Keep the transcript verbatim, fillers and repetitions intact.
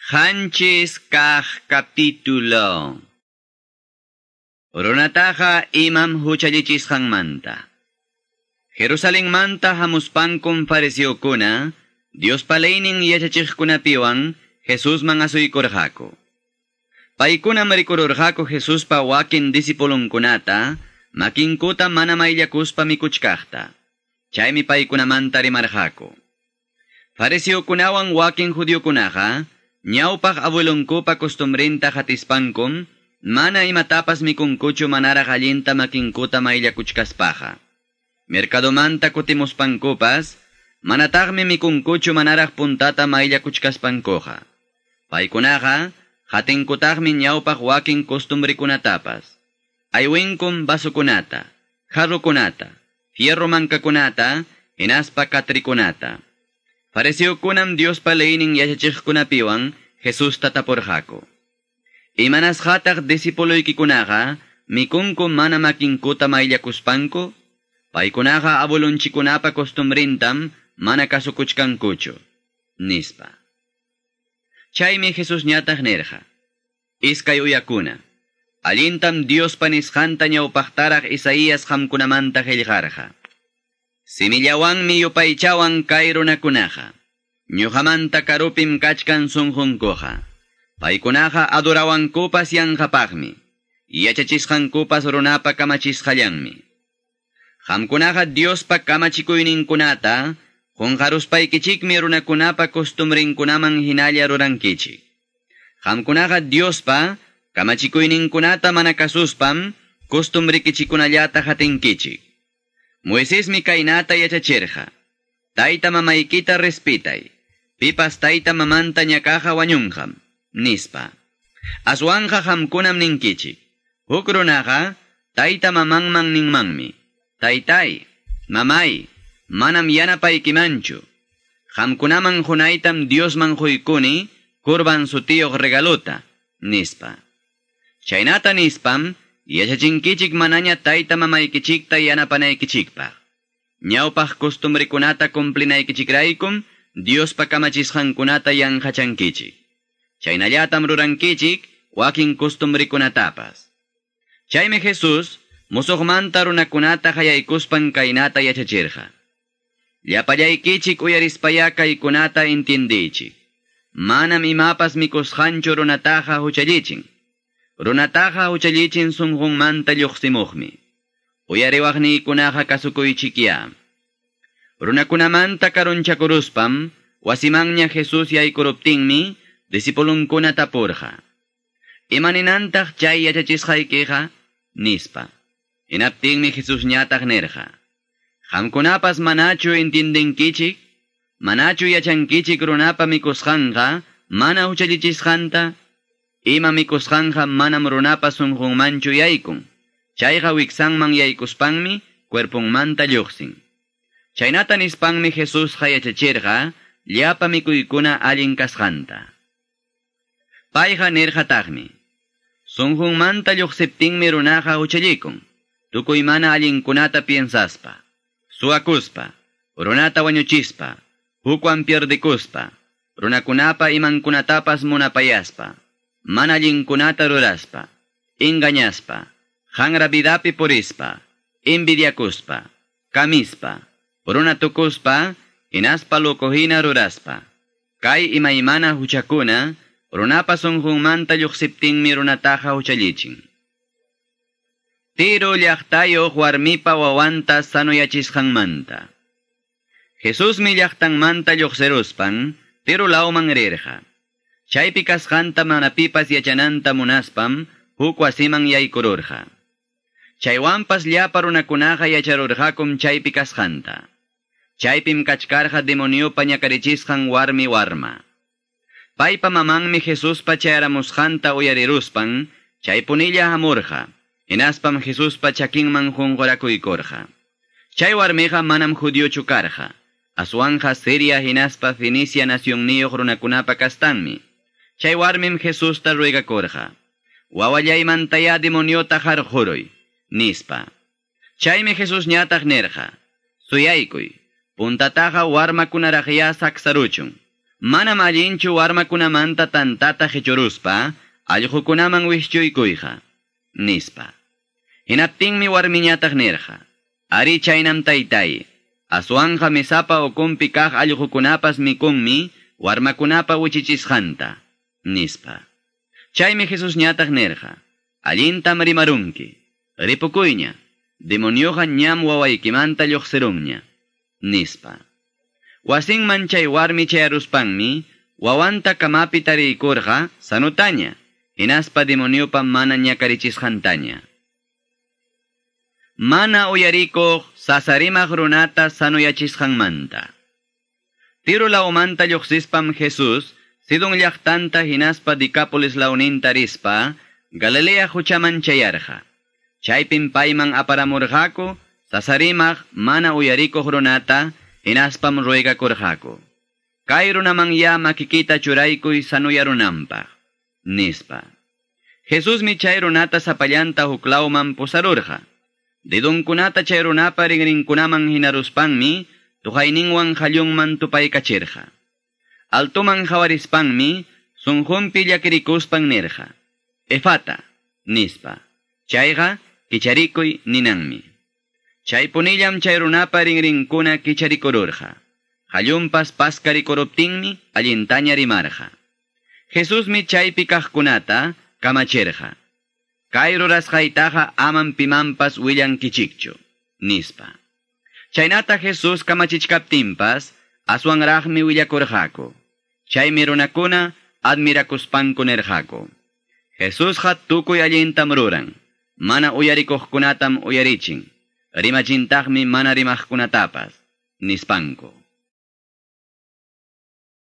Qanchis kaq capítulo. Runataqa imam huchallichisqanmanta. Jerusalenmanta hamuspankum fariseokuna, Diospa leynin yachachiqkunapiwan Jesusman asuykurqaku. Paykunam rikururqaku Jesuspa wakin discipulunkunata, makinkuta mana mayllakuspa mikuchkaqta. Chaymi paykunamanta rimarqaku. Fariseokunawan wakin judiokunaqa, ñawpaq abuelonkupa costumbrinta hatispankum, mana imatapas mikunkuchu manaraq allinta makinkuta mayllakuchkaspaqa. Mercadomanta kutimuspankupas, manataqmi mikunkuchu manaraq puntata mayllakuchkaspankuqa. Paykunaqa, hatinkutaqmi ñawpaq wakin costumbrikunatapas. Aywinkum vasokunata, jarrokunata, fierro mankakunata, hinaspa katrikunata. Fariseokunam Diospa leynin yachachiqkunapiwan Jesusta tapurqaku. Imanasqataq discipuloykikunaqa mikunku mana makinkuta mayllakuspanku? Paykunaqa abuelonchikunapa costumbrintam mana kasukuchkankuchu, nispa. Chaymi Jesusñataq nirqa: Iskay uyakuna, allintam Diospa nisqanta ñawpaqtaraq Isaías qamkunamanta qillqarqa. Simillawanmi yupaychawan kay runakunaqa, ñuqamanta karupim kachkan sunqunkuqa. Paykunaqa adorawankupas yanqapaqmi, yachachisqankupas runapa kamachisqallanmi. Qamkunaqa Diospa kamachikuyninkunata qunqaruspaykichikmi runakunapa costumbrinkunaman hinalla rurankichik. Qamkunaqa Diospa kamachikuyninkunata mana kasuspam costumbrikichikunallata hatinkichik. Moisesmi kaynata yachachirqa: Tayta mamaykita respetay, pipas tayta mamanta ñakaqa wañunqam, nispa. Aswanqa qamkunam ninkichik: Huk runaqa tayta mamanman ninmanmi: Taytay, mamay, manam yanapaykimanchu. Qamkunaman qunaytam Diosman quykuni kurban sutiyuq regalota, nispa. Chaynata nispam yachachinkichik manaña tayta mamaykichikta yanapanaykichikpaq. Ñawpaq costumbrikunata cumplinaykichikraykum Diospa kamachisqankunata yanqachankichik. Chaynallatam rurankichik wakin costumbrikunatapas. Chaymi Jesús musuqmanta runakunata hayaykuspan kaynata yachachirqa: Llapallaykichik uyarispaya kaykunata intindiychik. Manam imapas mikusqanchu runataqa huchallichin. Runataqa huchallichin sunqunmanta lluqsimuqmi. Uyariwaqniykunaqa kasukuychikya. Runakunamanta karunchakuruspam, wasimanña Jesús yaykuruptinmi, discipulunkuna tapurqa: Imaninantaq chay yachachisqaykiqa? Nispa. Hinaptinmi Jesusñataq nirqa: Qamkunapas manachu intindinkichik? Manachu yachankichik runapa mikusqanqa mana huchallichisqanta? Ima mikusqanqa manam runapa sunqunmanchu yaykun. Chayqa wiksanman yaykuspanmi cuerpunmanta lluqsin. Chaynata nispanmi Jesusqa yachachirqa llapa mikuykuna allin kasqanta. Payqa nirqataqmi: Sunqunmanta lluqsiptinmi runaqa huchallikun, tukuy mana allinkunata piensaspa, suwakuspa, runata wañuchispa, hukwan pierdikuspa, runakunapa imankunatapas munapayaspa, mana allinkunata ruraspa, engañaspa, hanra vidapi purispa, envidiakuspa, kamispa, runa tukuspa, hinaspa locohina ruraspa. Kay imaymana huchakuna, runapa sunqunmanta lluqsiptinmi runataqa huchallichin. Tiro llaqtayuq warmipa wawanta sanuyachisqanmanta. Jesusmi llaqtanmanta lluqsiruspan Tiro lawman rirqa. Chaypi kasqanta mana pipas yachananta munaspam huk wasiman yaykururqa. Chaywanpas llapa runakunaqa yacharurqakum chaypi kasqanta. Chaypim kachkarqa demoniopa ñakarichisqan warmi warma. Paypa mamanmi Jesuspa chayaramusqanta uyariruspan chaypunilla hamurqa. Hinaspam Jesuspa chakinman qunqurakuykurqa. Chay warmiqa manam judiochu karqa. Aswanja Siria hinaspa Fenicia nacionniyuq runakunapa kastanmi. Chay warmim Jesusta ruegakurqa: Wawallaymantaya demoniota qarquruy, nispa. Chaymi Jesusñataq nirqa: Suyaykuy, puntataqa warmakunaraqya saksaruchun. Manam allinchu warmakunamanta tantata qichuruspa allqukunaman wischuykuyqa, nispa. Hinaptinmi warmiñataq nirqa: Ari chaynam taytay, aswanqa mesapa ukunpi kaq allqukunapas mikunmi warmakunapa wichichisqanta, nispa. Chaymi Jesusñataq nirqa: Allintam rimarunki, ripukuyña, demonioqa ñam wawaykimanta lluqsirunña, nispa. Wasinman chay warmi chayaruspanmi, wawanta kamapi tariykurqa sanutaña, hinaspa demoniopa mana ñakarichisqantaña. Mana uyarikuq sasarimaq runata sanuyachisqanmanta. Tiro lawmanta lluqsispam Jesús, Sidon llaqtanta hinaspa Decápolis lawninta rispa, Galilea quchaman chayarqa. Chaypim payman aparamurqaku, sasarimaq mana uyarikuq runata, hinaspam ruegakurqaku: Kay runaman ya makikita churaykuy sanuyarunanpaq, nispa. Jesusmi chay runata sapallanta huklawman pusarurqa. Dedonkunata chay runapa rinrinkunaman hinaruspanmi, tuqayninwan qallunman tupaykachirqa. Altoman qawarispanmi, sunqunpi llakirikuspan nirqa: Efata, nispa. Chayqa kicharikuy ninanmi. Chaypunillam chay runapa rinrinkuna kicharikururqa. Qallunpas paskarikuruptinmi allintaña rimarqa. Jesusmi chaypi kaqkunata kamachirqa: Kay rurasqaytaqa amam pimanpas willankichikchu, nispa. Chaynata Jesús kamachichkaptinpas aswanraqmi willakurqaku. Chaymi runakuna admirakuspanku nirqaku: Jesusqa tukuy allintam ruran, mana uyarikuqkunatam uyarichin, rimachintaqmi mana rimaqkunatapas, nispanku.